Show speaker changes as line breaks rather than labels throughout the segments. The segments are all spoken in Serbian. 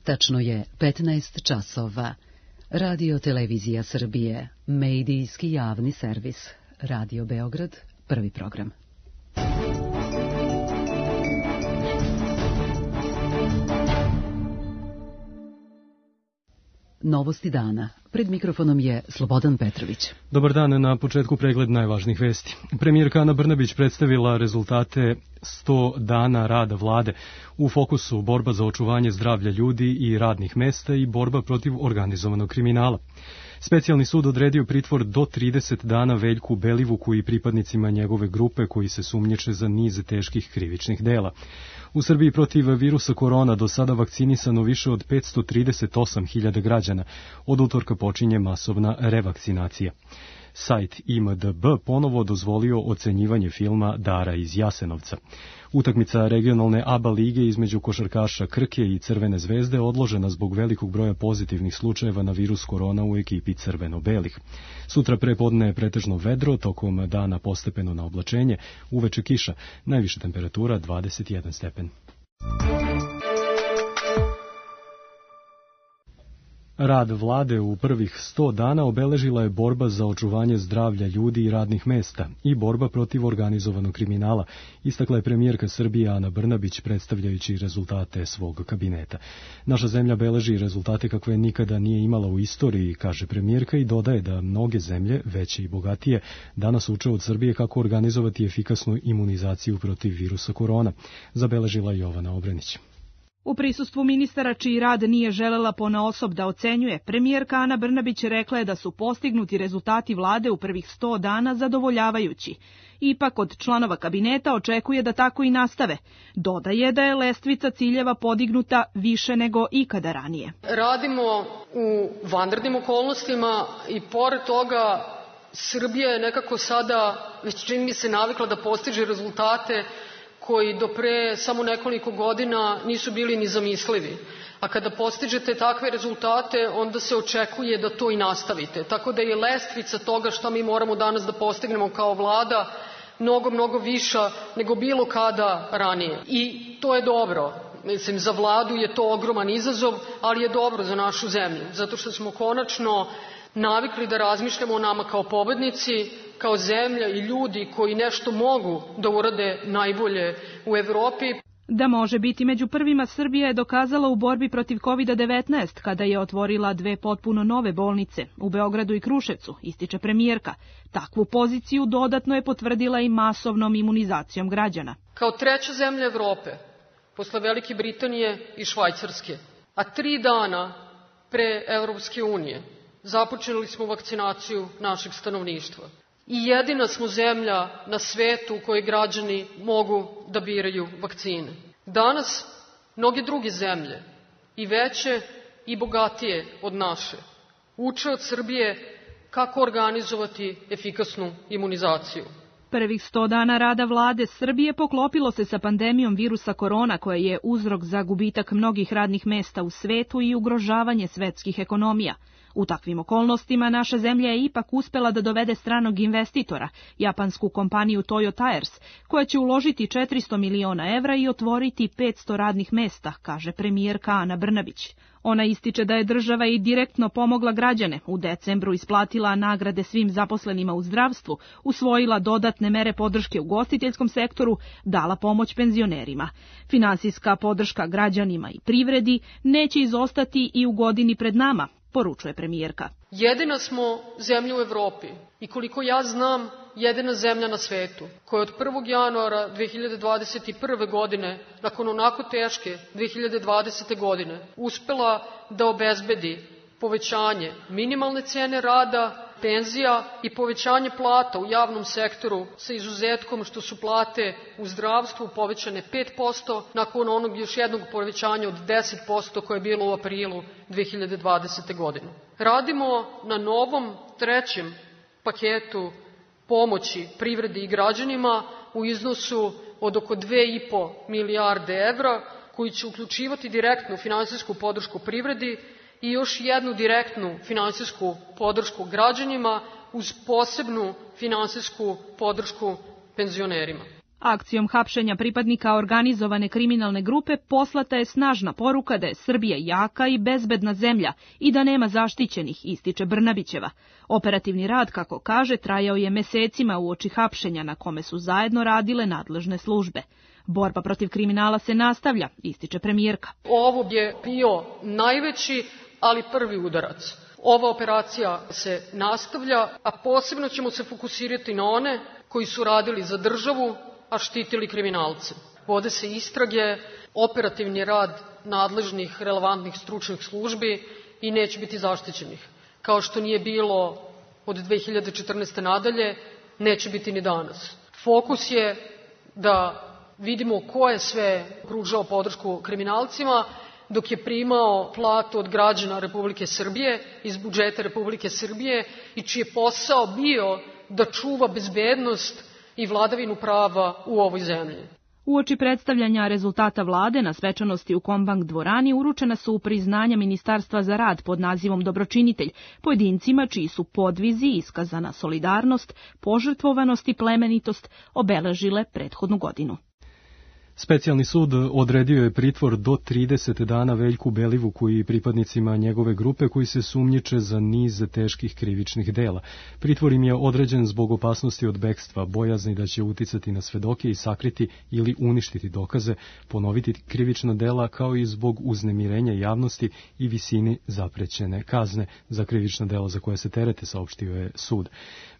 Tačno je 15 časova. Radio Televizija Srbije, medijski javni servis. Radio Beograd, prvi program. Novosti dana. Pred mikrofonom je Slobodan Petrović.
Dobar dan, na početku pregled najvažnijih vesti. Premijerka Ana Brnabić predstavila rezultate 100 dana rada vlade. U fokusu borba za očuvanje zdravlja ljudi i radnih mesta i borba protiv organizovanog kriminala. Specijalni sud odredio pritvor do 30 dana Veljku Belivuku i pripadnicima njegove grupe koji se sumnjiče za niz teških krivičnih dela. U Srbiji protiv virusa korona do sada vakcinisano više od 538.000 građana. Od utorka počinje masovna revakcinacija. Sajt IMDb ponovo dozvolio ocenjivanje filma Dara iz Jasenovca. Utakmica regionalne ABA lige između košarkaša Krke i Crvene zvezde odložena zbog velikog broja pozitivnih slučajeva na virus korona u ekipi crveno-belih. Sutra prepodne je pretežno vedro, tokom dana postepeno na oblačenje, uveče kiša, najviša temperatura 21 stepen. Rad vlade u prvih 100 dana obeležila je borba za očuvanje zdravlja ljudi i radnih mesta i borba protiv organizovanog kriminala, istakla je premijerka Srbije Ana Brnabić predstavljajući rezultate svog kabineta. Naša zemlja beleži rezultate kakve nikada nije imala u istoriji, kaže premijerka i dodaje da mnoge zemlje, veće i bogatije, danas uče od Srbije kako organizovati efikasnu imunizaciju protiv virusa korona, zabeležila Jovana Obrenić.
U prisustvu ministara čiji rad nije želela ponaosob da ocenjuje, premijerka Ana Brnabić rekla je da su postignuti rezultati vlade u prvih 100 dana zadovoljavajući. Ipak od članova kabineta očekuje da tako i nastave. Dodaje da je lestvica ciljeva podignuta više nego ikada ranije.
Radimo u vanrednim okolnostima i pored toga Srbija je nekako sada, već čini mi se, navikla da postiže rezultate koji do pre samo nekoliko godina nisu bili ni zamislivi. A kada postižete takve rezultate, onda se očekuje da to i nastavite. Tako da je lestvica toga što mi moramo danas da postignemo kao vlada mnogo viša nego bilo kada ranije. I to je dobro. Mislim, za vladu je to ogroman izazov, ali je dobro za našu zemlju. Zato što smo konačno navikli da razmišljamo o nama kao pobednici, kao zemlja i ljudi koji nešto mogu da urade najbolje u Evropi.
Da može biti među prvima, Srbija je dokazala u borbi protiv COVID-19 kada je otvorila 2 potpuno nove bolnice u Beogradu i Kruševcu, ističe premijerka. Takvu poziciju dodatno je potvrdila i masovnom imunizacijom građana.
Kao treća zemlja Evrope, posle Velike Britanije i Švajcarske, a 3 dana pre Evropske unije, započeli smo vakcinaciju našeg stanovništva. I jedina smo zemlja na svetu u kojoj građani mogu da biraju vakcine. Danas mnoge druge zemlje, i veće i bogatije od naše, uče od Srbije kako organizovati efikasnu imunizaciju.
Prvih 100 dana rada vlade Srbije poklopilo se sa pandemijom virusa korona koja je uzrok za gubitak mnogih radnih mesta u svetu i ugrožavanje svetskih ekonomija. U takvim okolnostima naša zemlja je ipak uspela da dovede stranog investitora, japansku kompaniju Toyo Tires, koja će uložiti 400 miliona evra i otvoriti 500 radnih mesta, kaže premijerka Ana Brnabić. Ona ističe da je država i direktno pomogla građane, u decembru isplatila nagrade svim zaposlenima u zdravstvu, usvojila dodatne mere podrške u ugostiteljskom sektoru, dala pomoć penzionerima. Finansijska podrška građanima i privredi neće izostati i u godini pred nama, poručuje premijerka.
Jedina smo zemlja u Evropi i koliko ja znam, jedina zemlja na svetu koja od 1. januara 2021. godine, nakon onako teške 2020. godine, uspela da obezbedi povećanje minimalne cene rada, penzija i povećanje plata u javnom sektoru sa izuzetkom što su plate u zdravstvu povećane 5% nakon onog još jednog povećanja od 10% koje je bilo u aprilu 2020. godine. Radimo na novom 3. paketu pomoći privredi i građanima u iznosu od oko 2,5 milijarde evra koji će uključivati direktnu finansijsku podršku privredi i još jednu direktnu finansijsku podršku građanima uz posebnu finansijsku podršku penzionerima.
Akcijom hapšenja pripadnika organizovane kriminalne grupe poslata je snažna poruka da je Srbija jaka i bezbedna zemlja i da nema zaštićenih, ističe Brnabićeva. Operativni rad, kako kaže, trajao je mesecima uoči hapšenja na kome su zajedno radile nadležne službe. Borba protiv kriminala se nastavlja, ističe premijerka.
Ovo je bio najveći, ali prvi udarac. Ova operacija se nastavlja, a posebno ćemo se fokusirati na one koji su radili za državu, a štitili kriminalce. Vode se istrage, operativni rad nadležnih relevantnih stručnih službi i neće biti zaštićenih. Kao što nije bilo od 2014. nadalje, neće biti ni danas. Fokus je da vidimo ko je sve pružao podršku kriminalcima dok je primao platu od građana Republike Srbije iz budžeta Republike Srbije i čiji je posao bio da čuva bezbednost i vladavinu prava u ovoj zemlji.
Uoči predstavljanja rezultata vlade na svečanosti u Kombank dvorani uručena su priznanja Ministarstva za rad pod nazivom Dobročinitelj pojedincima čiji su podvizi, iskazana solidarnost, požrtvovanost i plemenitost obeležile prethodnu godinu.
Specijalni sud odredio je pritvor do 30 dana Veljku Belivuku i pripadnicima njegove grupe koji se sumnjiče za niz teških krivičnih dela. Pritvor im je određen zbog opasnosti od bekstva, bojazni da će uticati na svedoke i sakriti ili uništiti dokaze, ponoviti krivična dela kao i zbog uznemirenja javnosti i visini zaprećene kazne za krivična dela za koje se terete, saopštio je sud.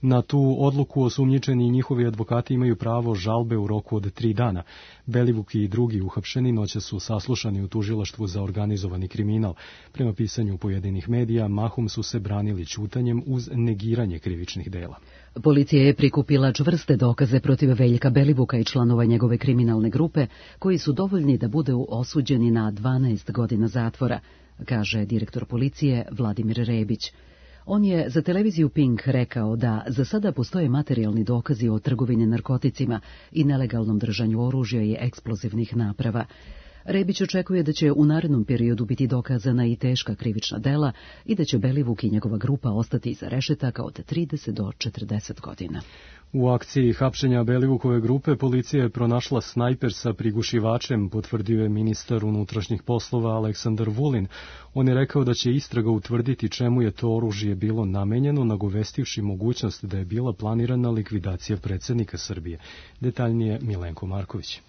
Na tu odluku osumnjičeni i njihovi advokati imaju pravo žalbe u roku od 3 dana. Belivuk i drugi uhapšeni noće su saslušani u tužilaštvu za organizovani kriminal. Prema pisanju pojedinih medija, mahom su se branili ćutanjem uz negiranje krivičnih dela.
Policija je prikupila čvrste dokaze protiv Veljka Belivuka i članova njegove kriminalne grupe, koji su dovoljni da budu osuđeni na 12 godina zatvora, kaže direktor policije Vladimir Rebić. On je za televiziju Pink rekao da za sada postoje materijalni dokazi o trgovini narkoticima i nelegalnom držanju oružja i eksplozivnih naprava. Rebić očekuje da će u narednom periodu biti dokazana i teška krivična dela i da će Belivuk i njegova grupa ostati iza rešetaka od 30 do 40 godina.
U akciji hapšenja Belivukove grupe policija je pronašla snajper sa prigušivačem, potvrdio je ministar unutrašnjih poslova Aleksandar Vulin. On je rekao da će istraga utvrditi čemu je to oružje bilo namenjeno, nagovestivši mogućnost da je bila planirana likvidacija predsjednika Srbije. Detaljnije Milenko Marković.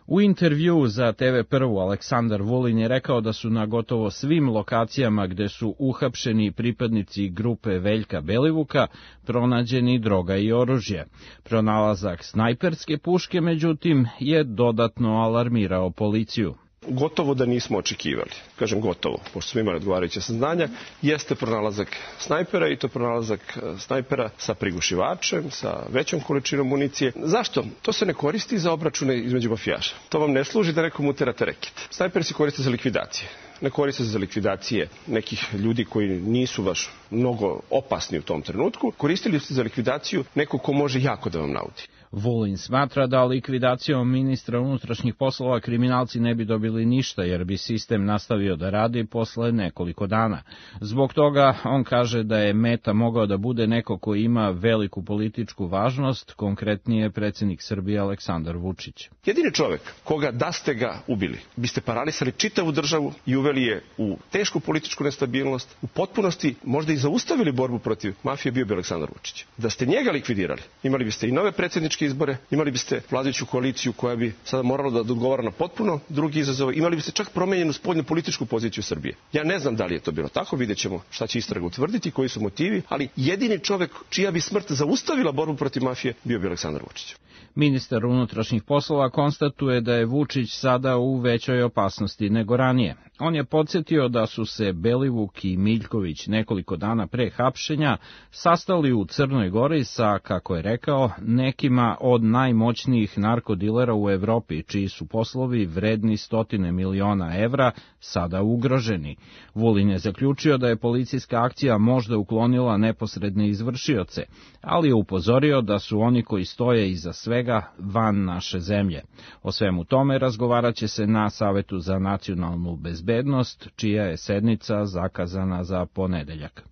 U intervjuu za TV1 Aleksandar Vulin je rekao da su na gotovo svim lokacijama gde su uhapšeni pripadnici grupe Veljka Belivuka pronađeni droga i oružje. Pronalazak snajperske puške, međutim, je dodatno alarmirao policiju.
Gotovo da nismo očekivali, kažem gotovo, pošto smo imali odgovarajuće saznanja, jeste pronalazak snajpera i to pronalazak snajpera sa prigušivačem, sa većom količinom municije. Zašto? To se ne koristi za obračune između mafijaša. To vam ne služi da nekom uterate reket. Snajper se koriste za likvidacije. Ne koriste se za likvidacije nekih ljudi koji nisu baš mnogo opasni u tom trenutku. Koristili ste za likvidaciju nekog ko može jako da vam naudi.
Vulin smatra da likvidacijom ministra unutrašnjih poslova kriminalci ne bi dobili ništa, jer bi sistem nastavio da radi posle nekoliko dana. Zbog toga on kaže da je meta mogao da bude neko koji ima veliku političku važnost, konkretnije predsjednik Srbije Aleksandar Vučić.
Jedini čovek koga da ste ga ubili, biste paralisali čitavu državu i uveli je u tešku političku nestabilnost, u potpunosti možda i zaustavili borbu protiv mafije, bio bi Aleksandar Vučić. Da ste njega likvidirali, imali biste i nove predsjedničke izbore, imali biste vladajuću koaliciju koja bi sada morala da odgovara na potpuno drugi izazov, imali biste čak promenjenu spoljnu političku poziciju Srbije. Ja ne znam da li je to bilo tako, vidjet ćemo šta će istraga utvrditi, koji su motivi, ali jedini čovek čija bi smrt zaustavila borbu protiv mafije bio bi Aleksandar Vučić.
Ministar unutrašnjih poslova konstatuje da je Vučić sada u većoj opasnosti nego ranije. On je podsjetio da su se Belivuk i Miljković nekoliko dana pre hapšenja sastali u Crnoj Gori sa, kako je rekao, nekima od najmoćnijih narkodilera u Evropi, čiji su poslovi vredni 100 miliona evra sada ugroženi. Vulin je zaključio da je policijska akcija možda uklonila neposredne izvršioce, ali je upozorio da su oni koji stoje iza svega van naše zemlje. O svemu tome razgovarat će se na Savetu za nacionalnu bezbednost, čija je sednica zakazana za ponedeljak.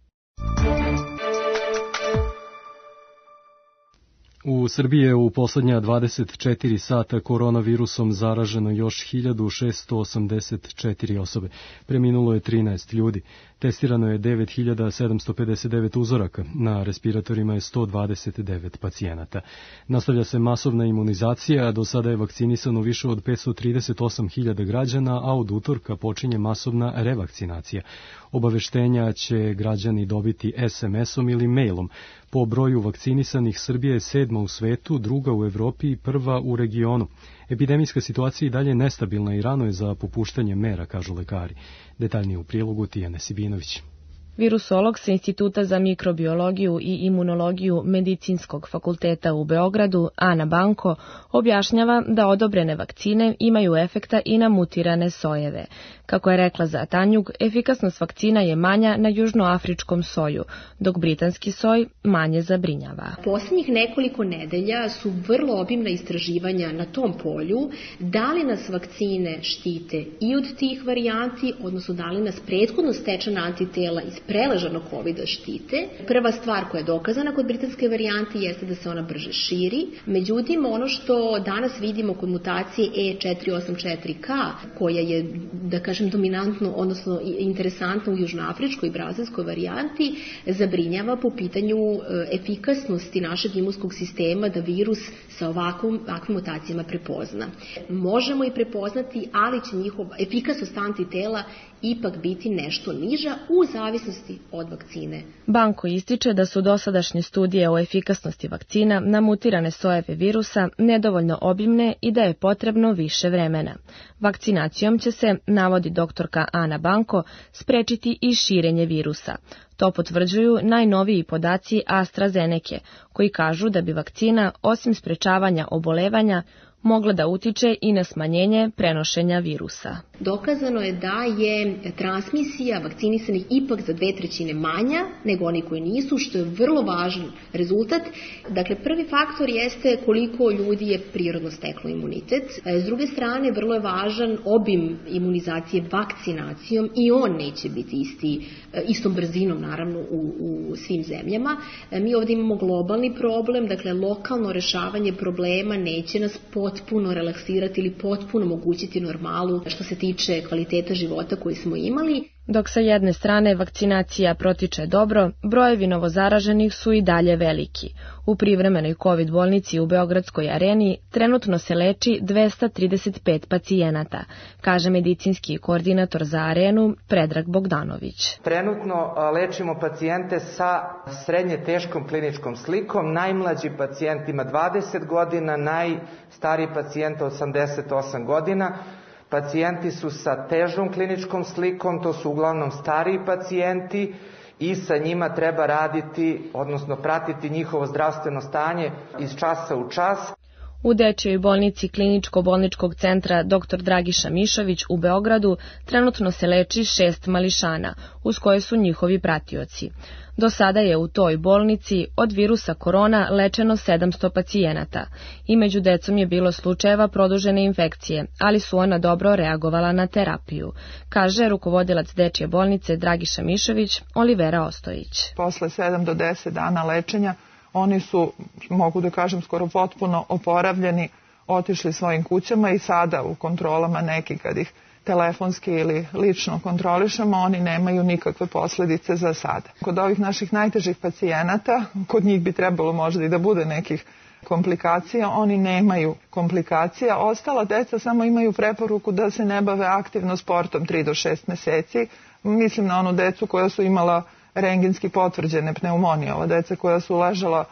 U Srbiji je u posljednja 24 sata koronavirusom zaraženo još 1684 osobe. Preminulo je 13 ljudi. Testirano je 9759 uzoraka. Na respiratorima je 129 pacijenata. Nastavlja se masovna imunizacija, a do sada je vakcinisano više od 538.000 građana, a od utorka počinje masovna revakcinacija. Obaveštenja će građani dobiti SMS-om ili mailom. Po broju vakcinisanih Srbija je 7. u svetu, 2. u Evropi i 1. u regionu. Epidemijska situacija i dalje nestabilna i rano je za popuštanje mera, kažu lekari. Detaljnije u prilogu Tijane Sibinović.
Virusolog sa Instituta za mikrobiologiju i imunologiju Medicinskog fakulteta u Beogradu, Ana Banko, objašnjava da odobrene vakcine imaju efekta i na mutirane sojeve. Kako je rekla za Tanjug, efikasnost vakcina je manja na južnoafričkom soju, dok britanski soj manje zabrinjava.
Posljednjih nekoliko nedelja su vrlo obimna istraživanja na tom polju, da li nas vakcine štite i od tih varijanti, odnosno da li nas prethodno stečena antitela iz preležanog COVID-a štite. Prva stvar koja je dokazana kod britanske varijante jeste da se ona brže širi. Međutim, ono što danas vidimo kod mutacije E484K, koja je, da kažem, dominantno, odnosno interesantno u južnoafričkoj i brazilskoj varijanti, zabrinjava po pitanju efikasnosti našeg imunskog sistema da virus sa ovakvim mutacijama prepozna. Možemo i prepoznati, ali će njihova efikasnost antitela ipak biti nešto niža u zavisnosti od vakcine.
Banko ističe da su dosadašnje studije o efikasnosti vakcina na mutirane sojeve virusa nedovoljno obimne i da je potrebno više vremena. Vakcinacijom će se, navodi doktorka Ana Banko, sprečiti i širenje virusa. To potvrđuju najnoviji podaci AstraZenece, koji kažu da bi vakcina, osim sprečavanja obolevanja, mogla da utiče i na smanjenje prenošenja virusa.
Dokazano je da je transmisija vakcinisanih ipak za 2/3 manja nego oni koji nisu, što je vrlo važan rezultat. Dakle, prvi faktor jeste koliko ljudi je prirodno steklo imunitet. S druge strane, vrlo je važan obim imunizacije vakcinacijom i on neće biti istom brzinom, naravno, u svim zemljama. Mi ovdje imamo globalni problem, dakle, lokalno rešavanje problema neće nas potpuno relaksirati ili potpuno omogućiti normalu što se tiče kvaliteta života koji smo imali.
Dok sa jedne strane vakcinacija protiče dobro, brojevi novozaraženih su i dalje veliki. U privremenoj COVID bolnici u Beogradskoj areni trenutno se leči 235 pacijenata, kaže medicinski koordinator za arenu Predrag Bogdanović.
Trenutno lečimo pacijente sa srednje teškom kliničkom slikom. Najmlađi pacijent ima 20 godina, najstariji pacijent 88 godina. Pacijenti su sa težom kliničkom slikom, to su uglavnom stariji pacijenti i sa njima treba raditi, odnosno pratiti njihovo zdravstveno stanje iz časa u čas.
U dečjoj bolnici Kliničko-bolničkog centra dr. Dragiša Mišović u Beogradu trenutno se leči 6 mališana, uz koje su njihovi pratioci. Do sada je u toj bolnici od virusa korona lečeno 700 pacijenata i među decom je bilo slučajeva produžene infekcije, ali su ona dobro reagovala na terapiju, kaže rukovodilac dečje bolnice Dragiša Mišović, Olivera Ostojić.
Posle 7 do 10 dana lečenja oni su, mogu da kažem, skoro potpuno oporavljeni, otišli svojim kućama i sada u kontrolama neki kad ih telefonski ili lično kontrolišemo, oni nemaju nikakve posljedice za sada. Kod ovih naših najtežih pacijenata, kod njih bi trebalo možda i da bude nekih komplikacija, oni nemaju komplikacija. Ostala deca samo imaju preporuku da se ne bave aktivno sportom 3 do 6 meseci. Mislim na onu decu koja su imala rengenski potvrđene pneumonije, ova deca koja su ležala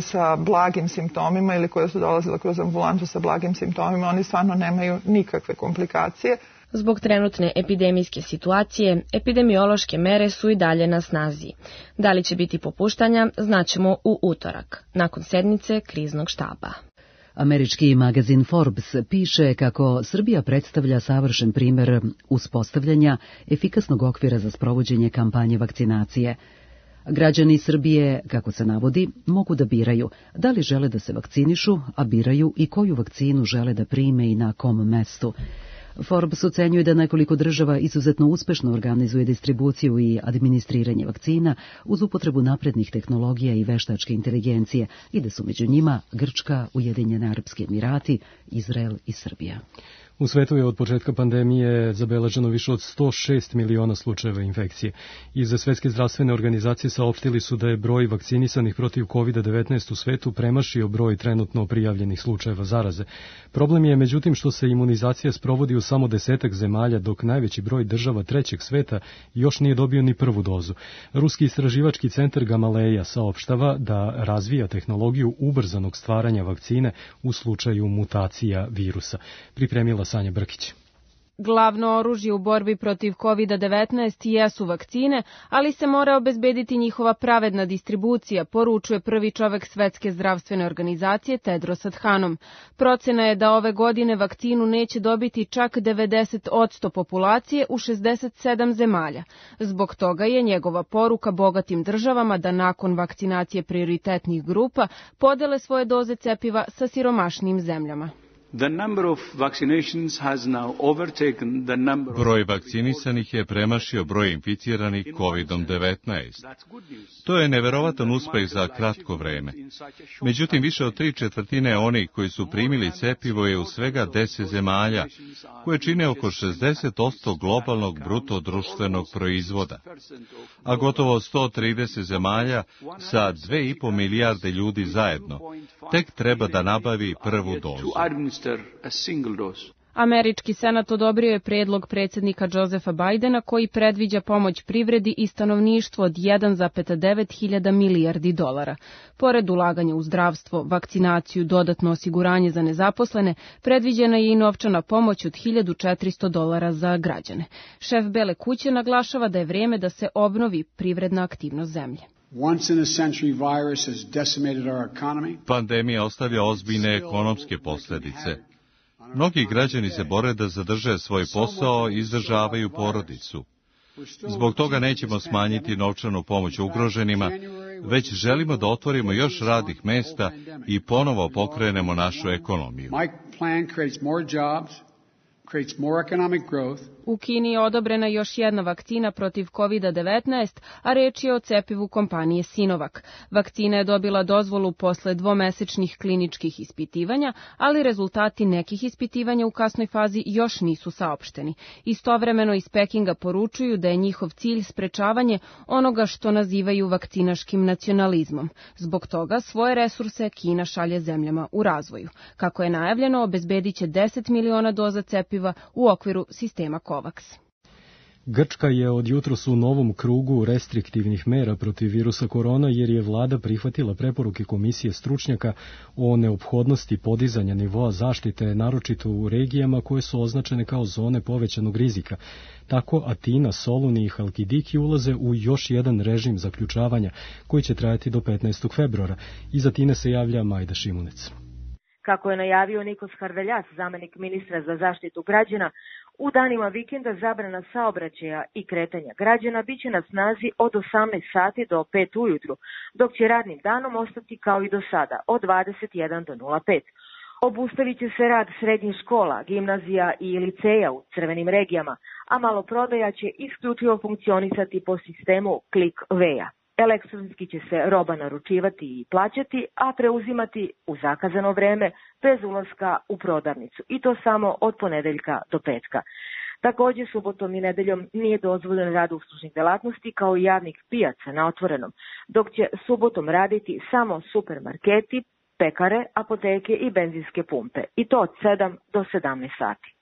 sa blagim simptomima ili koja su dolazila kroz ambulantu sa blagim simptomima, oni stvarno nemaju nikakve komplikacije.
Zbog trenutne epidemijske situacije, epidemiološke mere su i dalje na snazi. Da li će biti popuštanja, znaćemo u utorak, nakon sednice kriznog štaba.
Američki magazin Forbes piše kako Srbija predstavlja savršen primer uspostavljanja efikasnog okvira za sprovođenje kampanje vakcinacije. Građani Srbije, kako se navodi, mogu da biraju da li žele da se vakcinišu, a biraju i koju vakcinu žele da prime i na kom mestu. Forbes ocenjuje da nekoliko država izuzetno uspešno organizuje distribuciju i administriranje vakcina uz upotrebu naprednih tehnologija i veštačke inteligencije i da su među njima Grčka, Ujedinjeni Arapski Emirati, Izrael i Srbija.
U svetu je od početka pandemije zabeleženo više od 106 miliona slučajeva infekcije. Iz Svetske zdravstvene organizacije saopštili su da je broj vakcinisanih protiv COVID-19 u svetu premašio broj trenutno prijavljenih slučajeva zaraze. Problem je međutim što se imunizacija sprovodi u samo 10 zemalja, dok najveći broj država trećeg sveta još nije dobio ni prvu dozu. Ruski istraživački centar Gamaleja saopštava da razvija tehnologiju ubrzanog stvaranja vakcine u slučaju mutacija virusa. Pripremila Sanja Brkić.
Glavno oružje u borbi protiv COVID-19 jesu vakcine, ali se mora obezbediti njihova pravedna distribucija, poručuje prvi čovek Svetske zdravstvene organizacije Tedros Adhanom. Procena je da ove godine vakcinu neće dobiti čak 90% populacije u 67 zemalja. Zbog toga je njegova poruka bogatim državama da nakon vakcinacije prioritetnih grupa podele svoje doze cepiva sa siromašnijim zemljama.
Broj vakcinisanih je premašio broj inficiranih COVID-19. To je neverovatan uspeh za kratko vreme. Međutim, više od 3/4 onih koji su primili cepivo je u svega 10 zemalja, koje čine oko 60% globalnog bruto društvenog proizvoda. A gotovo 130 zemalja sa 2,5 milijarde ljudi zajedno tek treba da nabavi prvu dozu.
Američki senat odobrio je predlog predsjednika Josepha Bidena koji predviđa pomoć privredi i stanovništvu od 1,9 hiljada milijardi dolara. Pored ulaganja u zdravstvo, vakcinaciju, dodatno osiguranje za nezaposlene, predviđena je i novčana pomoć od $1.400 za građane. Šef Bele kuće naglašava da je vrijeme da se obnovi privredna aktivnost zemlje.
Pandemija ostavlja ozbiljne ekonomske posljedice. Mnogi građani se bore da zadrže svoj posao i izdržavaju porodicu. Zbog toga nećemo smanjiti novčanu pomoć ugroženima, već želimo da otvorimo još radnih mesta i ponovo pokrenemo našu ekonomiju.
U Kini je odobrena još jedna vakcina protiv COVID-19, a reč je o cepivu kompanije Sinovac. Vakcina je dobila dozvolu posle 2-mesečnih kliničkih ispitivanja, ali rezultati nekih ispitivanja u kasnoj fazi još nisu saopšteni. Istovremeno iz Pekinga poručuju da je njihov cilj sprečavanje onoga što nazivaju vakcinaškim nacionalizmom. Zbog toga svoje resurse Kina šalje zemljama u razvoju. Kako je najavljeno, obezbedit će 10 miliona doza cepiva u okviru sistema COVAX.
Grčka je od jutros u novom krugu restriktivnih mera protiv virusa korona jer je vlada prihvatila preporuke komisije stručnjaka o neophodnosti podizanja nivoa zaštite, naročito u regijama koje su označene kao zone povećanog rizika. Tako Atina, Soluni i Halkidiki ulaze u još jedan režim zaključavanja koji će trajati do 15. februara. Iz Atine se javlja Majda Šimunec.
Kako je najavio Nikos Harveljas, zamenik ministra za zaštitu građana, u danima vikenda zabrana saobraćaja i kretanja građana biće na snazi od 18 sati do 5 ujutru, dok će radnim danom ostati kao i do sada, od 21 do 05. Obustavit će se rad srednjih škola, gimnazija i liceja u crvenim regijama, a maloprodaja će isključivo funkcionisati po sistemu Click-Veja. Elektronski će se roba naručivati i plaćati, a preuzimati u zakazano vreme bez ulaska u prodavnicu, i to samo od ponedeljka do petka. Također subotom i nedeljom nije dozvoljen rad uslužnih delatnosti kao i javnih pijaca na otvorenom, dok će subotom raditi samo supermarketi, pekare, apoteke i benzinske pumpe, i to od 7 do 17 sati.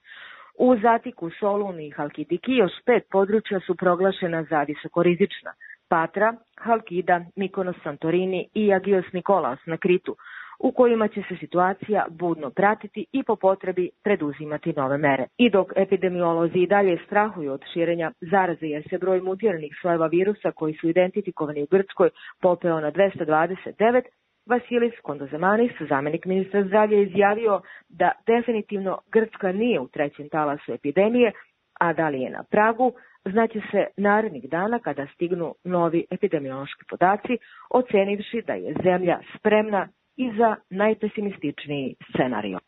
U Zatiku, Soluni i Halkidiki još 5 područja su proglašena za visokorizična: Patra, Halkida, Mikonos, Santorini i Agios Nikolaos na Kritu, u kojima će se situacija budno pratiti i po potrebi preduzimati nove mere. I dok epidemiolozi i dalje strahuju od širenja zaraze jer se broj mutiranih sojeva virusa koji su identifikovani u Grčkoj popeo na 229, Vasilis Kondozemanis, zamenik ministra zdravlja, izjavio da definitivno Grčka nije u trećem talasu epidemije, a da li je na pragu, znaće se narednih dana kada stignu novi epidemiološki podaci, ocenivši da je zemlja spremna i za najpesimističniji scenario.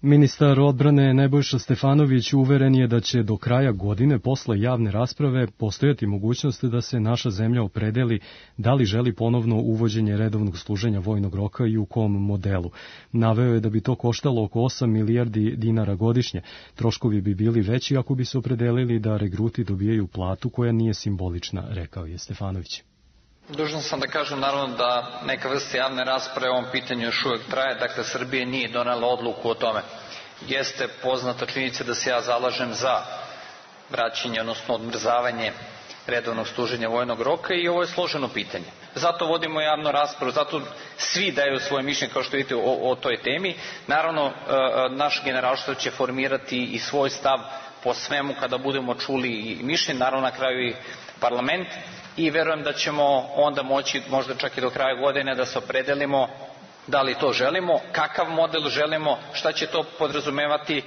Ministar odbrane Nebojša Stefanović uveren je da će do kraja godine posle javne rasprave postojati mogućnost da se naša zemlja opredeli da li želi ponovno uvođenje redovnog služenja vojnog roka i u kom modelu. Naveo je da bi to koštalo oko 8 milijardi dinara godišnje. Troškovi bi bili veći ako bi se opredelili da regruti dobijaju platu koja nije simbolična, rekao je Stefanović.
Dužan sam da kažem naravno da neka vrsta javne rasprave o ovom pitanju još uvek traje, dakle Srbija nije donela odluku o tome. Jeste poznata činjenica da se ja zalažem za vraćanje, odnosno odmrzavanje redovnog služenja vojnog roka i ovo je složeno pitanje. Zato vodimo javnu raspravu, zato svi daju svoje mišljenje kao što vidite o toj temi. Naravno, naš generalštab će formirati i svoj stav po svemu kada budemo čuli i mišljenje, naravno na kraju i parlament. I verujem da ćemo onda moći, možda čak i do kraja godine, da se opredelimo da li to želimo, kakav model želimo, šta će to podrazumevati.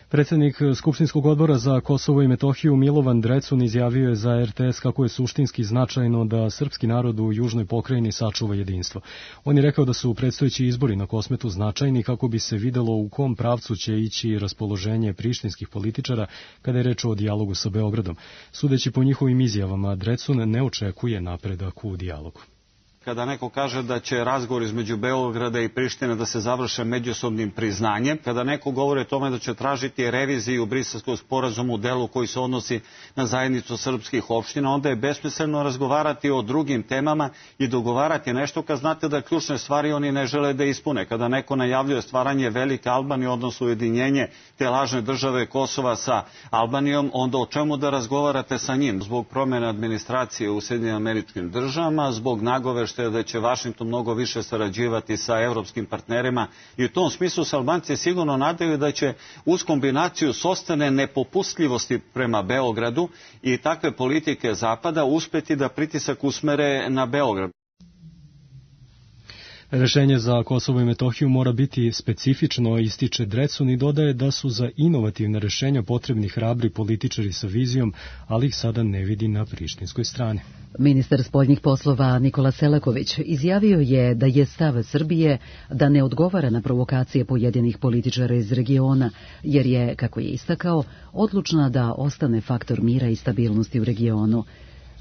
Predsjednik Skupštinskog odbora za Kosovo i Metohiju Milovan Drecun izjavio je za RTS kako je suštinski značajno da srpski narod u južnoj pokrajini sačuva jedinstvo. On je rekao da su predstojeći izbori na Kosmetu značajni kako bi se videlo u kom pravcu će ići raspoloženje prištinskih političara kada je reč o dijalogu sa Beogradom. Sudeći po njihovim izjavama, Drecun ne očekuje napredak u dijalogu.
Kada neko kaže da će razgovor između Beograda i Prištine da se završe međusobnim priznanjem, kada neko govori o tome da će tražiti reviziju Briselskog sporazuma u delu koji se odnosi na zajednicu srpskih opština, onda je besmisleno razgovarati o drugim temama i dogovarati nešto kad znate da ključne stvari oni ne žele da ispune. Kada neko najavljuje stvaranje velike Albanije, odnosno ujedinjenje te lažne države Kosova sa Albanijom, onda o čemu da razgovarate sa njim? Zbog promjene administracije u Sjedinjenim Američkim Državama, zbog nagove da će Vašington mnogo više sarađivati sa evropskim partnerima i u tom smislu se Albanci sigurno nadaju da će uz kombinaciju sopstvene nepopustljivosti prema Beogradu i takve politike Zapada uspeti da pritisak usmere na Beograd.
Rešenje za Kosovo i Metohiju mora biti specifično, ističe Drecun i dodaje da su za inovativne rešenja potrebni hrabri političari sa vizijom, ali ih sada ne vidi na prištinskoj strani.
Ministar spoljnih poslova Nikola Selaković izjavio je da je stav Srbije da ne odgovara na provokacije pojedinih političara iz regiona, jer je, kako je istakao, odlučna da ostane faktor mira i stabilnosti u regionu.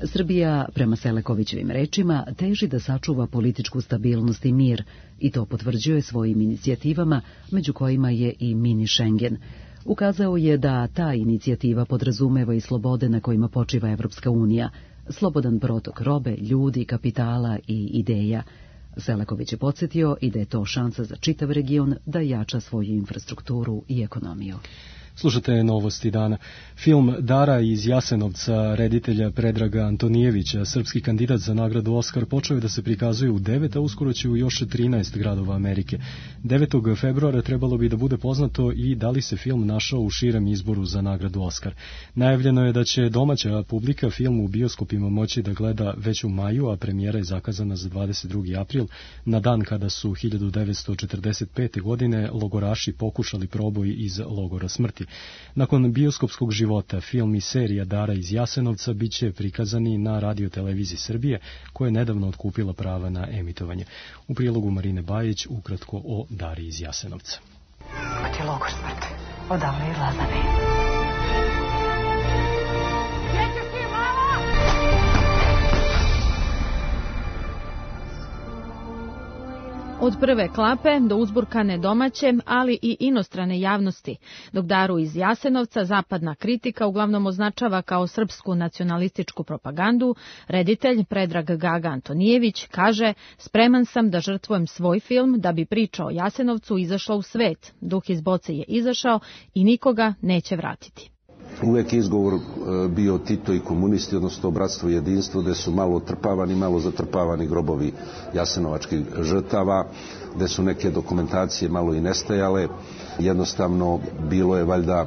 Srbija, prema Selakovićevim rečima, teži da sačuva političku stabilnost i mir i to potvrđuje svojim inicijativama, među kojima je i mini Schengen. Ukazao je da ta inicijativa podrazumeva i slobode na kojima počiva Evropska unija, slobodan protok robe, ljudi, kapitala i ideja. Selaković je podsjetio i da je to šansa za čitav region da jača svoju infrastrukturu i ekonomiju.
Slušate novosti dana. Film Dara iz Jasenovca reditelja Predraga Antonijevića, srpski kandidat za nagradu Oskar, počeo je da se prikazuje u 9, a uskoro će u još 13 gradova Amerike. 9. februara trebalo bi da bude poznato i da li se film našao u širem izboru za nagradu Oskar. Najavljeno je da će domaća publika film u bioskopima moći da gleda već u maju, a premijera je zakazana za 22. april, na dan kada su 1945. godine logoraši pokušali proboj iz logora smrti. Nakon bioskopskog života, film i serija Dara iz Jasenovca biće prikazani na Radio-televiziji Srbije, koja je nedavno otkupila prava na emitovanje. U prilogu Marine Bajić ukratko o Dari iz Jasenovca.
Kod je logor smrti, odavno je Lazane.
Od prve klape do uzburkane domaće, ali i inostrane javnosti, dok Daru iz Jasenovca zapadna kritika uglavnom označava kao srpsku nacionalističku propagandu, reditelj Predrag Gaga Antonijević kaže: spreman sam da žrtvujem svoj film da bi priča o Jasenovcu izašla u svet. Duh iz boce je izašao i nikoga neće vratiti.
Uvek izgovor bio Tito i komunisti, odnosno bratstvo i jedinstvo, gde su malo trpavani, malo zatrpavani grobovi jasenovačkih žrtava, gde su neke dokumentacije malo i nestajale. Jednostavno bilo je valjda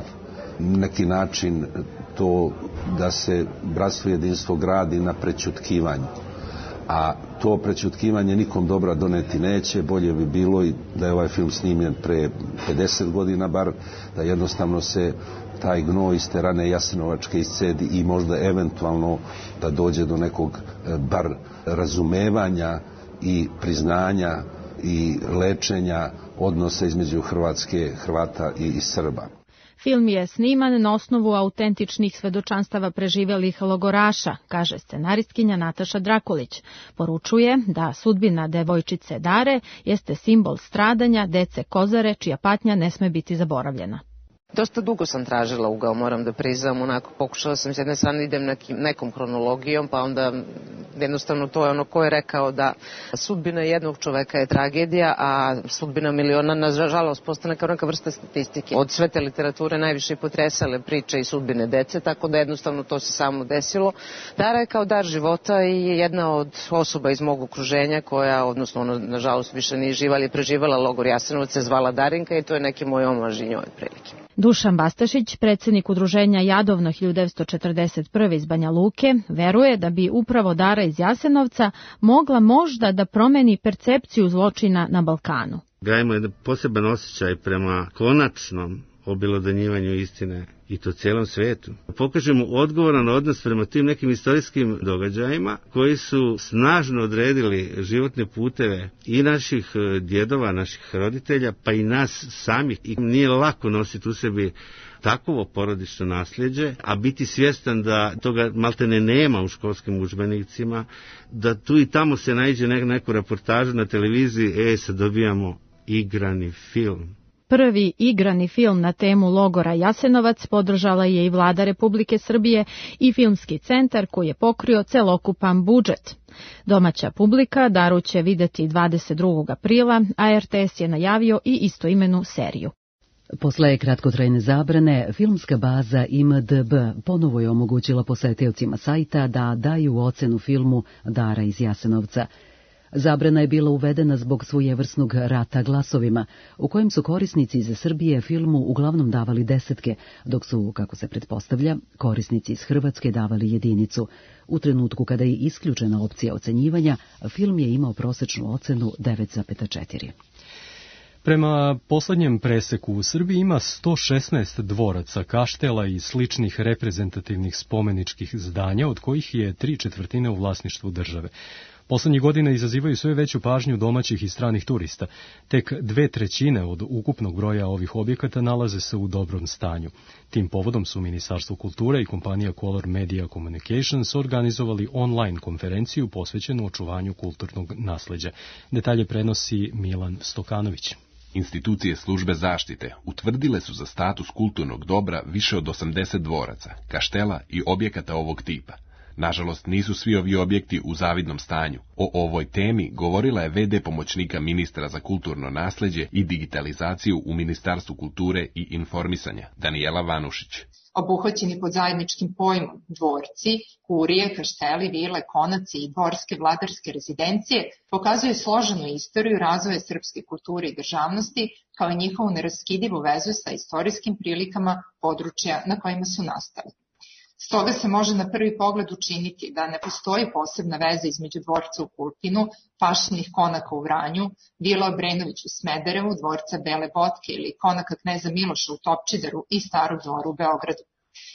neki način to da se bratstvo i jedinstvo gradi na prećutkivanju. A to prećutkivanje nikom dobra doneti neće. Bolje bi bilo i da je ovaj film snimljen pre 50 godina bar, da jednostavno se taj gnoj iz te rane jasenovačke iscedi i možda eventualno da dođe do nekog bar razumevanja i priznanja i lečenja odnosa između Hrvata i Srba.
Film je sniman na osnovu autentičnih svedočanstava preživelih logoraša, kaže scenaristkinja Nataša Drakulić. Poručuje da sudbina devojčice Dare jeste simbol stradanja dece Kozare, čija patnja ne sme biti zaboravljena.
Dosta dugo sam tražila ugao, moram da priznam, onako pokušala sam s jedne strane idem nekom hronologijom, pa onda jednostavno to je ono ko je rekao da sudbina jednog čoveka je tragedija, a sudbina miliona nažalost postane kao neka vrsta statistike. Od sve te literature najviše potresale priče i sudbine dece, tako da jednostavno to se samo desilo. Dara je kao dar života i jedna od osoba iz mog okruženja koja, odnosno ona nažalost više nije živa, ali je preživala logor Jasenovac, se zvala Darinka i to je neki moj omaž i njoj prilike.
Dušan Bastašić, predsjednik udruženja Jadovno 1941. iz Banja Luke, veruje da bi upravo Dara iz Jasenovca mogla možda da promeni percepciju zločina na Balkanu.
Gajimo jedan poseban osjećaj prema konačnom obelodanjivanju istine i to cijelom svijetu. Pokažemo odgovoran odnos prema tim nekim istorijskim događajima koji su snažno odredili životne puteve i naših djedova, naših roditelja, pa i nas samih. I nije lako nositi u sebi takovo porodično nasljeđe, a biti svjestan da toga maltene nema u školskim udžbenicima, da tu i tamo se naiđe neku reportažu na televiziji, sad dobijamo igrani film.
Prvi igrani film na temu logora Jasenovac podržala je i Vlada Republike Srbije i Filmski centar koji je pokrio celokupan budžet. Domaća publika Daru će videti 22. aprila, a RTS je najavio i istoimenu seriju.
Posle kratkotrajne zabrane, filmska baza IMDb ponovo je omogućila posetiocima sajta da daju ocenu filmu Dara iz Jasenovca. Zabrana je bila uvedena zbog svojevrsnog rata glasovima, u kojem su korisnici iz Srbije filmu uglavnom davali 10, dok su, kako se pretpostavlja, korisnici iz Hrvatske davali 1. U trenutku kada je isključena opcija ocenjivanja, film je imao prosečnu ocenu 9,4.
Prema poslednjem preseku u Srbiji ima 116 dvoraca, kaštela i sličnih reprezentativnih spomeničkih zdanja, od kojih je 3/4 u vlasništvu države. Poslednjih godina izazivaju sve veću pažnju domaćih i stranih turista. Tek 2/3 od ukupnog broja ovih objekata nalaze se u dobrom stanju. Tim povodom su Ministarstvo kulture i kompanija Color Media Communications organizovali online konferenciju posvećenu očuvanju kulturnog nasleđa. Detalje prenosi Milan Stokanović.
Institucije službe zaštite utvrdile su za status kulturnog dobra više od 80 dvoraca, kaštela i objekata ovog tipa. Nažalost, nisu svi ovi objekti u zavidnom stanju. O ovoj temi govorila je VD pomoćnika ministra za kulturno nasleđe i digitalizaciju u Ministarstvu kulture i informisanja, Danijela Vanušić.
Obuhvaćeni pod zajedničkim pojmom dvorci, kurije, kašteli, vile, konaci i dvorske vladarske rezidencije pokazuje složenu istoriju razvoja srpske kulture i državnosti, kao i njihovu neraskidivu vezu sa istorijskim prilikama područja na kojima su nastali. Stoga se može na prvi pogled učiniti da ne postoji posebna veza između dvorca u Kulpinu, pašnih konaka u Vranju, vila Obrenović u Smederevu, dvorca Bele Botke ili konaka kneza Miloša u Topčideru i Starog dvora u Beogradu.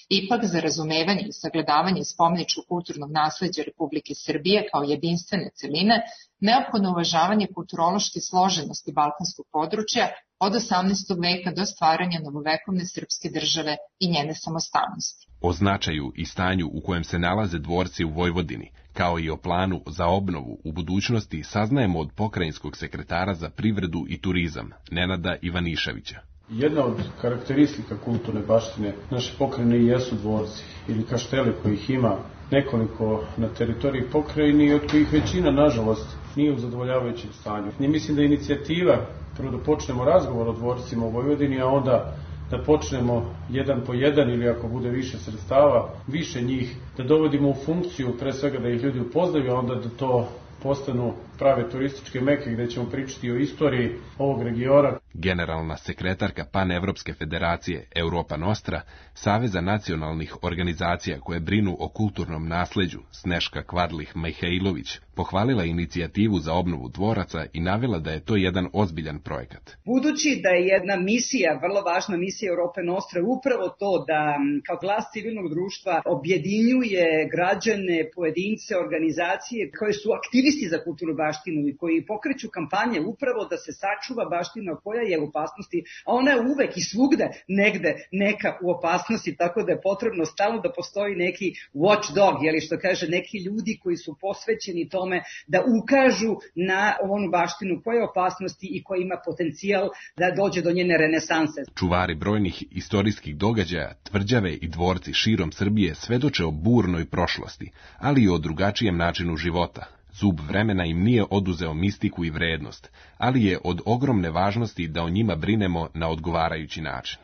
Ipak, za razumevanje i sagledavanje spomeničkog kulturnog nasleđa Republike Srbije kao jedinstvene celine, neophodno uvažavanje kulturološke složenosti balkanskog područja od 18. veka do stvaranja novovekovne srpske države i njene samostalnosti.
O značaju i stanju u kojem se nalaze dvorci u Vojvodini, kao i o planu za obnovu u budućnosti, saznajemo od pokrajinskog sekretara za privredu i turizam, Nenada Ivaniševića.
Jedna od karakteristika kulturne baštine naše pokrajine jesu dvorci ili kašteli kojih ima nekoliko na teritoriji pokrajine i od kojih većina, nažalost, nije u zadovoljavajućem stanju. I mislim da je inicijativa, prvo da počnemo razgovor o dvorcima u Vojvodini, a onda da počnemo jedan po jedan ili ako bude više sredstava, više njih, da dovodimo u funkciju, pre svega da ih ljudi upoznaju, a onda da to postanu prave turističke meke gde ćemo pričati o istoriji ovog regiona.
Generalna sekretarka Panevropske federacije Europa Nostra, Saveza nacionalnih organizacija koje brinu o kulturnom nasleđu, Sneška Kvadlih-Mihajlović, pohvalila inicijativu za obnovu dvoraca i navela da je to jedan ozbiljan projekat.
Budući da je jedna misija, vrlo važna misija Europe Nostra, upravo to da kao glas civilnog društva objedinjuje građane, pojedince, organizacije koje su aktivisti za kulturnu baštinu baštinu i koji pokreću kampanje upravo da se sačuva baština koja je u opasnosti, a ona je uvek i svugde negde neka u opasnosti, tako da je potrebno stalno da postoji neki watchdog, jeli što kaže, neki ljudi koji su posvećeni tome da ukažu na onu baštinu koja je opasnosti i koja ima potencijal da dođe do njene renesanse.
Čuvari brojnih istorijskih događaja, tvrđave i dvorci širom Srbije svedoče o burnoj prošlosti, ali i o drugačijem načinu života. Zub vremena im nije oduzeo mistiku i vrednost, ali je od ogromne važnosti da o njima brinemo na odgovarajući način.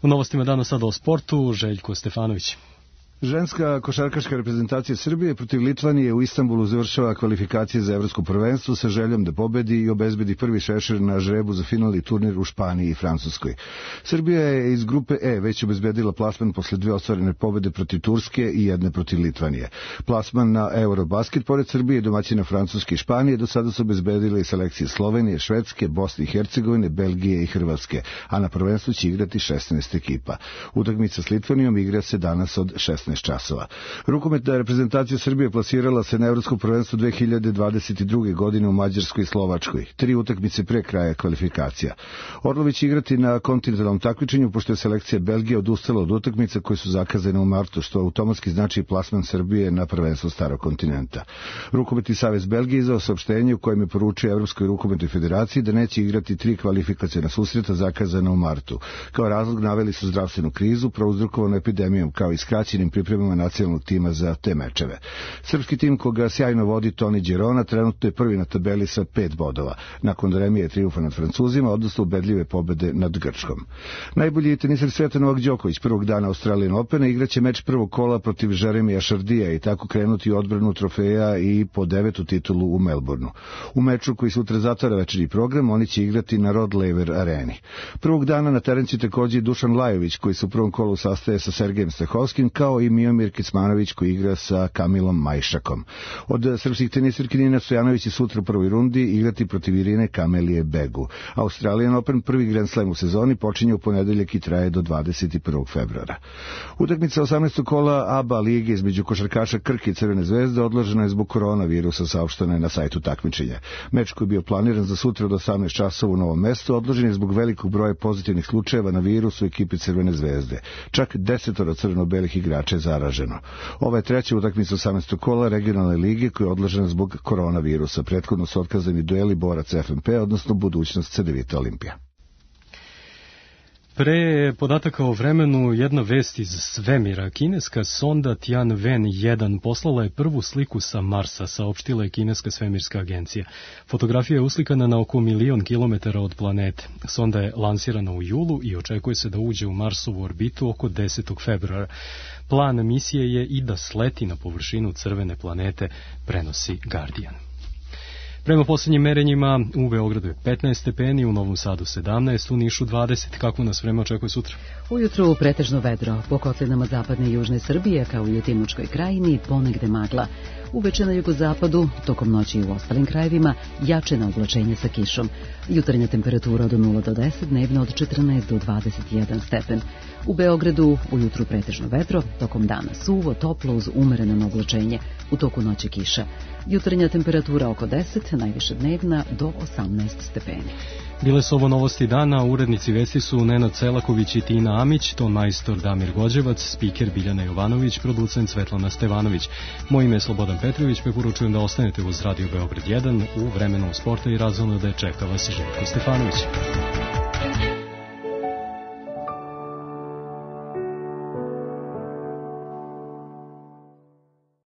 U novostima danas sada o sportu, Željko Stefanović.
Ženska košarkaška reprezentacija Srbije protiv Litvanije u Istanbulu završava kvalifikacije za evropsko prvenstvo sa željom da pobedi i obezbedi prvi šešir na žrebu za finalni turnir u Španiji i Francuskoj. Srbija je iz grupe E već obezbedila plasman posle 2 ostvarene pobede protiv Turske i 1 protiv Litvanije. Plasman na Eurobasket pored Srbije, domaćina Francuske i Španije do sada su obezbedile i selekcije Slovenije, Švedske, Bosne i Hercegovine, Belgije i Hrvatske, a na prvenstvu će igrati 16 ekipa. Utakmica s Litvanijom igra se danas od 16 časova. Rukometna reprezentacija Srbije plasirala se na evropsko prvenstvo 2022. godine u Mađarskoj i Slovačkoj. 3 utakmice pre kraja kvalifikacija. Orlović će igrati na kontinentalnom takmičenju, pošto je selekcija Belgije odustala od utakmica koje su zakazane u martu, što automatski znači plasman Srbije na prvenstvo starog kontinenta. Rukometni savez Belgije izdao saopštenje u kojem je poručio Evropskoj rukometnoj federaciji da neće igrati 3 kvalifikaciona susreta zakazana u martu. Kao razlog naveli su zdravstvenu krizu prouzrokovanu epidemijom, kao i skraćenim pripremama nacionalnog tima za te mečeve. Srpski tim koga sjajno vodi Toni Đerona trenutno je prvi na tabeli sa 5 bodova. Nakon remije triumfa nad Francuzima, odnosno ubedljive pobede nad Grčkom. Najbolji teniser sveta Novak Đoković prvog dana Australian Opena igraće meč prvog kola protiv Jeremija Šardija i tako krenuti u odbranu trofeja i po 9. titulu u Melbourneu. U meču koji sutra zatvara večernji program, oni će igrati na Rod Laver areni. Prvog dana na teren će takođe Dušan Lajović, koji se u prvom kolu sastaje sa Sergejem Stehovskim, kao i Miomir Kecmanović koji igra sa Kamilom Majšakom. Od srpskih tenisirki Nina Stojanović će sutra u prvoj rundi igrati protiv Irine Kamelije Begu. Australian Open, prvi Grand Slam u sezoni, počinje u ponedeljak i traje do 21. februara. Utakmica 18. kola ABA lige između košarkaša Krke i Crvene zvezde odložena je zbog koronavirusa, saopšteno je na sajtu takmičenja. Meč koji je bio planiran za sutra od 18 časova u Novom Mestu odložen je zbog velikog broja pozitivnih slučajeva na virus u ekipi Crvene zvezde. Čak 10 crveno-belih igrača je zaraženo. Ova je treća utakmica 18. kola regionalne lige koja je odložena zbog koronavirusa. Prethodno su otkazani dueli borac FNP, odnosno budućnost Cedevita Olimpija.
Pre podataka o vremenu, jedna vest iz svemira. Kineska sonda Tianwen-1 poslala je prvu sliku sa Marsa, saopštila je Kineska svemirska agencija. Fotografija je uslikana na oko 1.000.000 kilometara od planete. Sonda je lansirana u julu i očekuje se da uđe u Marsovu orbitu oko 10. februara. Plan misije je i da sleti na površinu crvene planete, prenosi Guardian. Prema posljednjim merenjima u Beogradu je 15 stepeni, u Novom Sadu 17, u Nišu 20. Kako nas vreme očekuje sutra?
Ujutru pretežno vedro, po kotlinama zapadne i južne Srbije, kao i u Timočkoj krajini, ponegde magla. Uveče na jugozapadu, tokom noći i u ostalim krajevima, jačena oblačenja sa kišom. Jutarnja temperatura od 0 do 10, dnevno od 14 do 21 stepen. U Beogradu ujutru pretežno vedro, tokom dana suvo, toplo uz umereno oblačenje, u toku noći kiša. Jutarnja temperatura oko 10, najviše dnevna do 18 stepeni.
Bile su ovo novosti dana, urednici vesti su Nenad Selaković i Tina Amić, ton majstor Damir Gođevac, spiker Biljana Jovanović, producent Svetlana Stevanović. Moje ime je Slobodan Petrović, preporučujem da ostanete uz Radio Beograd 1 u vremenu sporta i razumno da je čeka vas Željko Stefanović.